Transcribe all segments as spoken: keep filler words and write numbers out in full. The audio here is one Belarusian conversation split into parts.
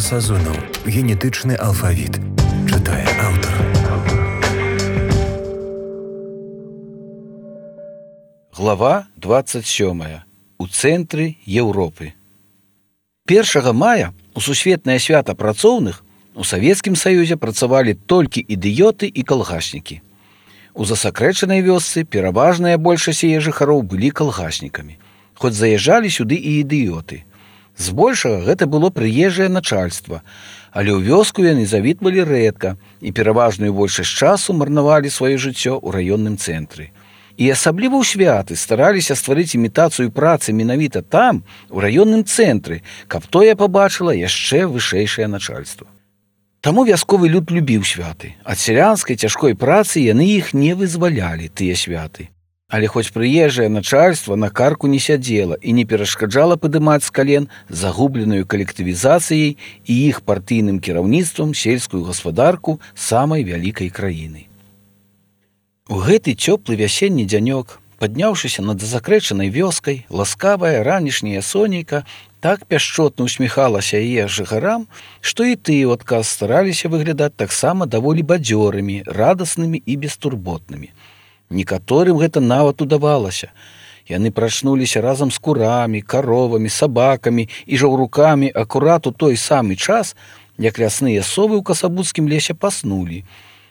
Сазонаў. Генетычны алфавіт. Чытае аўтар. Глава двадцать сёмая. У цэнтры Еўропы. першага мая у сусветнае свята працоўных у Савецкім Саюзе працавалі толькі ідыёты і калгаснікі. У засакрэчанай вёсцы пераважная большасць яе жыхароў былі калгаснікамі, хоць заязджалі сюды і ідыёты. Збольшага гэта было прыезжае начальства, але ў вёску яны завітвалі рэдка і пераважную большасць часу марнавалі сваё жыццё ў раённым цэнтры. І асабліва ў святы стараліся стварыць імітацыю працы менавіта там, у раённым цэнтры, каб тое пабачыла яшчэ вышэйшае начальства. Таму вясковы люд любіў святы. Ад сялянскай цяжкой працы яны іх не вызвалялі, тыя святы. Але хоць прыезжае начальства на карку не сядзела і не перашкаджала падымаць з кален загубленую калектывізацыяй і іх партыйным кіраўніцтвам сельскую гаспадарку самай вялікай краіны. У гэты цёплы вясенні дзянёк, падняўшыся над засакрэчанай вёскай, ласкавая ранішняя сонейка так пяшчотна усміхалася яе жыхарам, што і тыя ў адказ стараліся выглядаць таксама даволі бадзёрымі, радаснымі і бестурботнымі. Некаторым гэта нават удавалася. Яны прачнуліся разам з курамі, каровамі, сабакамі і жаўрукамі акурат у той самы час, як лясныя совы ў касабуцкім лесе паснулі.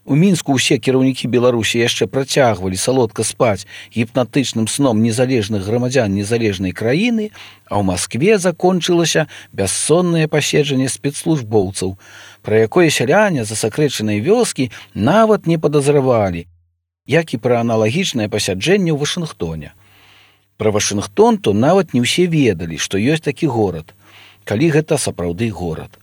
У Мінску ўсе кіраўнікі Беларусі яшчэ працягвалі салодка спаць гіпнатычным сном незалежных грамадзян незалежнай краіны, а ў Маскве закончылася бяссоннае паседжанне спецслужбоўцаў, пра якое сяляне засакрэчанай вёскі нават не падазравалі, як і пра аналагічнае пасяджэнне ў Вашынгтоне. Пра Вашынгтон то нават не ўсе ведалі, што ёсць такі горад, калі гэта сапраўды горад.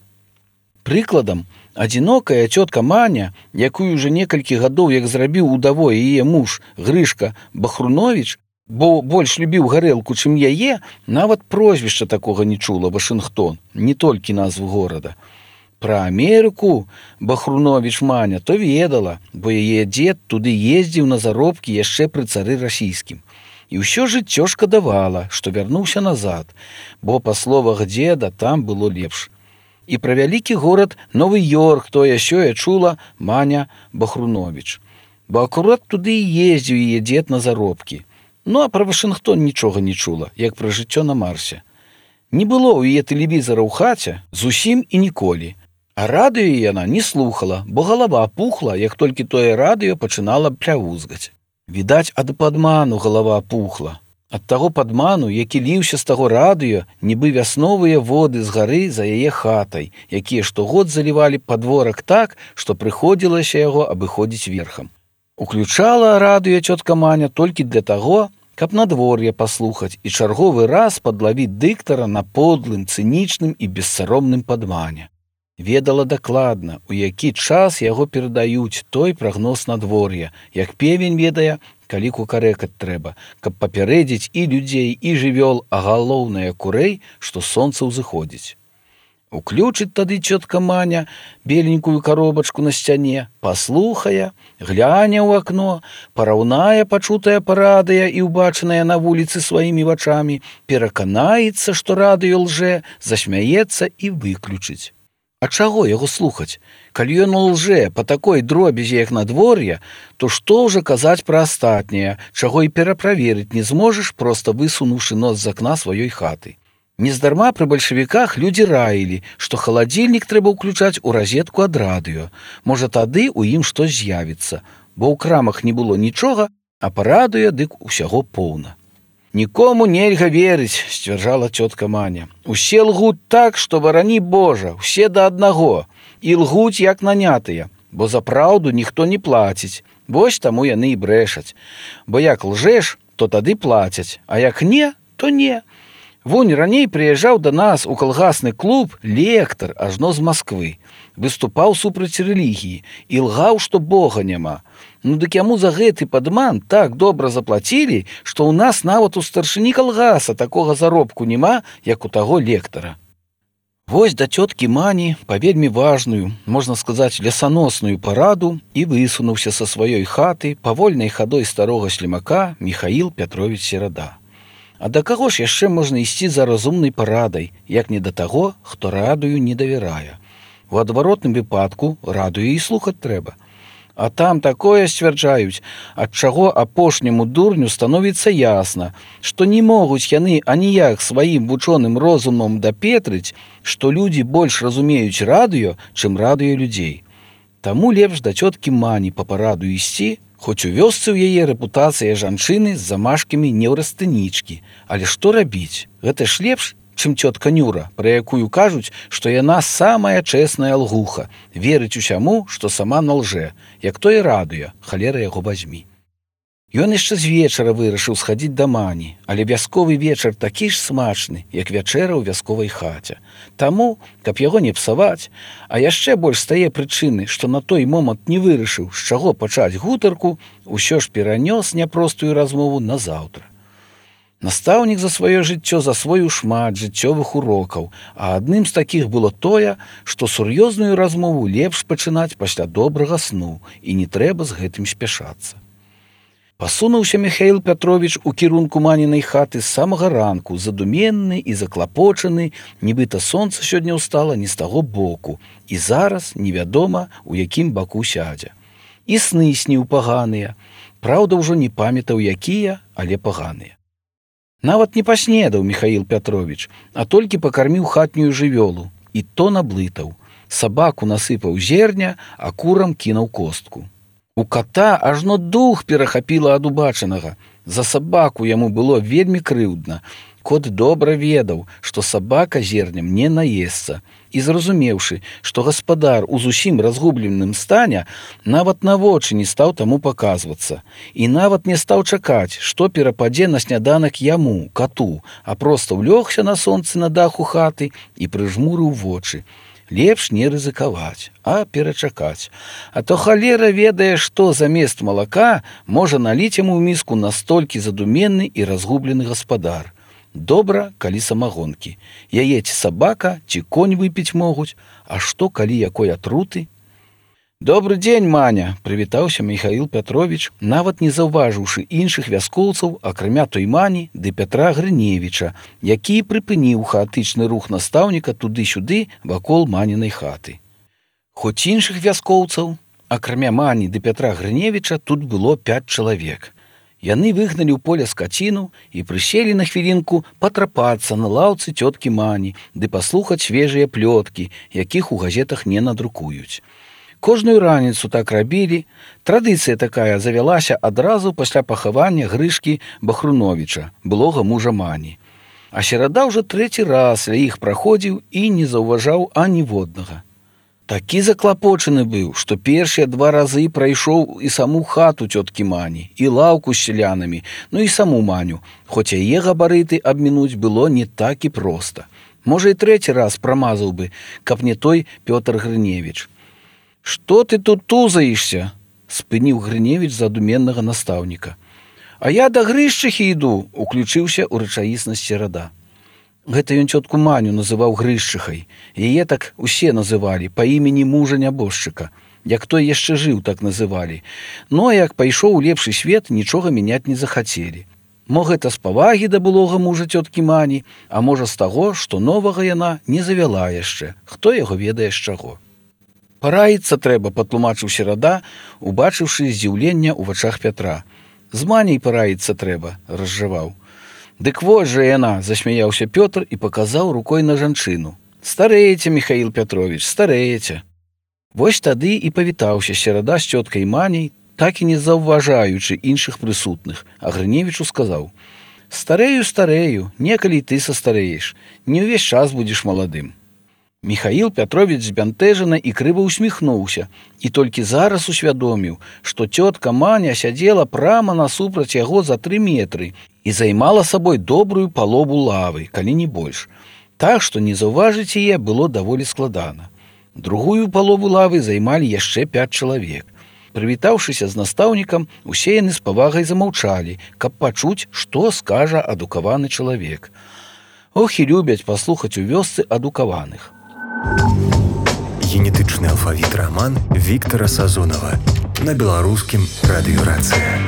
Прыкладам, адзінокая цётка Маня, якую ўжо некалькі гадоў як зрабіў удавой яе муж Грышка Бахруновіч, бо больш любіў гарэлку, чым яе, нават прозвішча такога не чула Вашынгтон, не толькі назву горада. Пра Амерыку Бахруновіч Маня то ведала, бо яе дзед туды ездзіў на заробкі яшчэ пры цары расійскім. І ўсё жыццё шкадавала, што вярнуўся назад, бо, па словах дзеда, там было лепш. І пра вялікі горад Новы-Йорк тое-сёе чула Маня Бахруновіч, бо акурат туды і ездзіў яе дзед на заробкі. Ну, а пра Вашынгтон нічога не чула, як пра жыццё на Марсе. Не было ў яе тэлевізара ў хаце зусім і ніколі. А радыё яна не слухала, бо галава пухла, як толькі тое радыё пачынала плявузгаць. Відаць, ад падману галава пухла. Ад таго падману, які ліўся з таго радыё, нібы вясновыя воды з гары за яе хатай, якія штогод залівалі падворак так, што прыходзілася яго абыходзіць верхам. Уключала радыё цётка Маня толькі для таго, каб надвор'е паслухаць і чарговы раз падлавіць дыктара на подлым, цынічным і бессаромным падмане. Ведала дакладна, у які час яго перадаюць той прагноз надвор'я, як певень ведае, калі кукарэкаць трэба, каб папярэдзіць і людзей, і жывёл, а галоўнае курэй, што сонца ўзыходзіць. Уключыць тады цётка Маня беленькую коробачку на сцяне, паслухае, гляне ў акно, параўнае пачутае па радыё і ўбачанае на вуліцы сваімі вачамі, пераканаецца, што радыё лжэ, засмяецца і выключыць. А чаго яго слухаць? Калі ён лжэ па такой дробязі, як надвор'е, то што ўжо казаць пра астатняе, чаго і пераправерыць не зможаш, проста высунуўшы нос з акна сваёй хаты. Нездарма пры бальшавіках людзі раілі, што халадзільнік трэба ўключаць у разетку ад радыё. Можа, тады ў ім штось з'явіцца, бо ў крамах не было нічога, а па радыё дык усяго поўна. «Нікому нельга верыць», – сцвярджала цётка Маня. «Усе лгуць так, што барані Божа, усе да аднаго. І лгуць як нанятыя, бо за праўду ніхто не плаціць. Вось таму яны і брэшаць. Бо як лжэш, то тады плацяць, а як не, то не. Вунь раней прыязджаў да нас у калгасны клуб лектар ажно з Масквы. Выступаў супраць рэлігіі і лгаў, што Бога няма. Ну дык яму за гэты падман так добра заплацілі, што ў нас нават у старшыні калгаса такога заробку няма, як у таго лектара». Вось да цёткі Мані па вельмі важную, можна сказаць, лесаносную параду і высунуўся са сваёй хаты павольнай хадой старога слімака Міхаіл Пятровіч Серада. А да каго ж яшчэ можна ісці за разумнай парадай, як не да таго, хто радыю не давярае? У адваротным выпадку радыё і слухаць трэба. А там такое сцвярджаюць, ад чаго апошняму дурню становіцца ясна, што не могуць яны аніяк сваім вучоным розумам дапетрыць, што людзі больш разумеюць радыё, чым радыё людзей. Таму лепш да цёткі Мані па параду ісці, хоць у вёсцы ў яе рэпутацыя жанчыны з замашкамі неўрастэнічкі. Але што рабіць? Гэта ж лепш, чым цётка Нюра, пра якую кажуць, што яна самая чэсная лгуха, верыць усяму, што сама налжэ, як тое радыё, халера яго вазьмі. Ён яшчэ з вечара вырашыў схадзіць да Мані, але вясковы вечар такі ж смачны, як вячэра ў вясковай хаце. Таму, каб яго не псаваць, а яшчэ больш стае прычыны, што на той момант не вырашыў, з чаго пачаць гутарку, усё ж перанёс няпростую размову на заўтра. Настаўнік за сваё жыццё засвоіў шмат жыццёвых урокаў, а адным з такіх было тое, што сур'ёзную размову лепш пачынаць пасля добрага сну, і не трэба з гэтым спяшацца. Пасунуўся Міхаіл Пятровіч у кірунку Манінай хаты з самага ранку, задуменны і заклапочаны, нібыта сонца сёння ўстала не з таго боку, і зараз невядома, у якім баку сядзе. І сны сніў паганыя, праўда, ўжо не памятаў якія, але паганыя. Нават не паснедаў Міхаіл Пятровіч, а толькі пакарміў хатнюю жывёлу, і то наблытаў. Сабаку насыпаў зерня, а курам кінуў костку. У ката ажно дух перахапіла ад убачанага. За сабаку яму было вельмі крыўдна. Кот добра ведаў, што сабака зернем не наесца, і зразумеўшы, што гаспадар у зусім разгубленым стане, нават на вочы не стаў таму паказвацца, і нават не стаў чакаць, што перападзе на сняданак яму, кату, а проста ўлёгся на сонцы на даху хаты і прыжмурыў вочы. Лепш не рызыкаваць, а перачакаць. А то халера ведае, што замест малака можа наліць яму ў міску настолькі задуменны і разгублены гаспадар. Добра, калі самагонкі. Яе ці сабака, ці конь выпіць могуць, а што, калі якой атруты? «Добры дзень, Маня!» – прывітаўся Міхаіл Пятровіч, нават не заўважыўшы іншых вяскоўцаў, акрамя той Мані ды Пятра Грыневіча, які прыпыніў хаатычны рух настаўніка туды-сюды вакол Манінай хаты. Хоць іншых вяскоўцаў, акрамя Мані ды Пятра Грыневіча, тут было пяць чалавек. Яны выгналі ў поле скаціну і прыселі на хвілінку патрапацца на лаўцы цёткі Мані ды паслухаць свежыя плёткі, якіх у газетах не надрукуюць. Кожную раніцу так рабілі, традыцыя такая завялася адразу пасля пахавання Грышкі Бахруновіча, былога мужа Мані. А серада ўжо трэці раз ля іх праходзіў і не заўважаў аніводнага. Такі заклапочаны быў, што першыя два разы прайшоў і саму хату цёткі Мані, і лаўку з сялянамі, ну і саму Маню, хоць яе габарыты абмінуць было не так і проста. Можа, і трэці раз прамазаў бы, каб не той Пётр Грыневіч. «Што ты тут тузаешся?» – спыніў Грыневіч задуменнага настаўніка. «А я да Грышчыхі іду», – уключыўся ў рэчаіснасць серада. Гэта ён цётку Маню называў Грышчыхай. Яе так усе называлі, па імені мужа нябожчыка. Як той яшчэ жыў, так называлі. Но як пайшоў у лепшы свет, нічога мяняць не захацелі. Мо гэта з павагі да былога мужа цёткі Мані, а можа з таго, што новага яна не завяла яшчэ. Хто яго ведае з чаго? «Параіцца трэба», – патлумачыў серада, убачыўшы здзіўлення ў вачах Пятра. «З Маняй параіцца трэба», – разжаваў. «Дык вось жа яна», – засмяяўся Пётр і паказаў рукой на жанчыну. «Старэеце, Міхаіл Пятровіч, старэеце». Вось тады і павітаўся серада з цёткай Маняй, так і не заўважаючы іншых прысутных, а Грыневічу сказаў: «Старэю, старэю, некалі ты састарэеш, не ўвесь час будзеш маладым». Міхаіл Пятровіч збянтэжана і крыва ўсміхнуўся, і толькі зараз усвядоміў, што цётка Маня сядзела прама насупраць яго за тры метры і займала сабой добрую палову лавы, калі не больш. Так што не заўважыць яе было даволі складана. Другую палову лавы займалі яшчэ пяць чалавек. Прывітаўшыся з настаўнікам, усе яны з павагай замаўчалі, каб пачуць, што скажа адукаваны чалавек. Ох, і любяць паслухаць у вёсцы адукаваных. Генетычны алфавіт раман Віктара Сазонава на беларускім радыёрацыі.